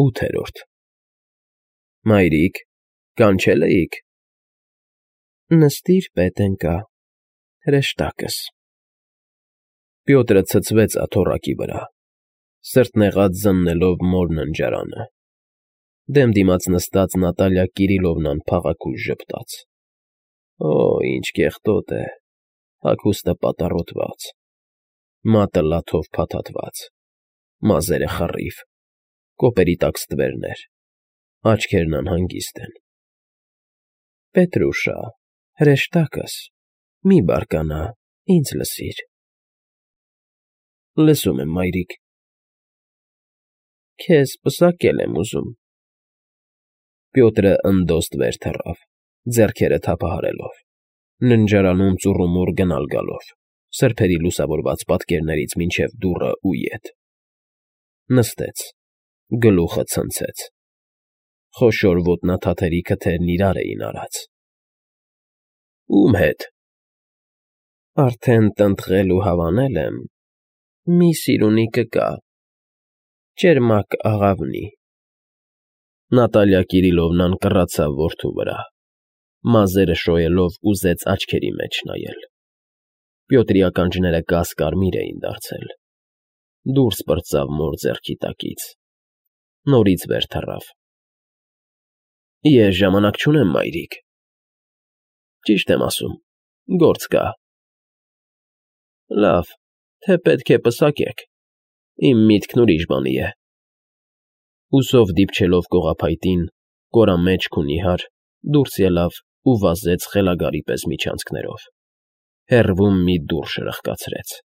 8-րդ Մայրիկ, կանչե՞լ էիք։ Նստիր, պետենկա, հրեշտակս։ Պյոտրը ցցվեց աթոռակի վրա, սրտնեղած զննելով մոր ննջարանը։ Դեմ դիմաց նստած Նատալիա Կիրիլովնան փաղաքուշ ժպտաց. Օ, ինչ կեղտոտ է, հագուստը պատառոտված, մատը լաթով փաթաթված, մազերը խռիվ, կոպերի տակ ստվերներ, աչքերն անհանգիստ են։ Պետրուշա, հրեշտակս, մի բարկանա, ինձ լսիր։ Լսում եմ, մայրիկ։ Քեզ պսակել եմ ուզում։ Պյոտրը ընդոստ վեր թռավ, ձեռքերը թափահարելով, ննջարանում ծուռումուռ գնալ֊գալով, սրբերի լուսավորված պատկերներից մինչև դուռը ու ետ։ Նստեց, գլուխը ցնցեց։ Խոշոր ոտնաթաթերի քթերն իրար էին արած։ Ում հետ։ Արդեն տնտղել ու հավանել եմ, մի սիրունի կկա, ճերմակ աղավնի։ Նատալիա Կիրիլովնան կռացավ որդու վրա, մազերը շոյելով ուզեց աչքերի մեջ նայել։ Պյոտրի ականջները կաս֊կարմիր էին դարձել։ Դուրս պրծավ մոր ձեռքի տակից, նորից վեր թռավ։ Ես ժամանակ չունեմ, մայրիկ։ Ճիշտ եմ ասում, գործ կա։ Լավ, թե պետք է պսակեք, իմ միտքն ուրիշ բանի է։ Ուսով դիպչելով կողափայտին, կորամեջք ու նիհար, դուրս ելավ ու վազեց խելագարի պես միջանցքներով։ Հեռվում մի դուռ շրխկացրեց։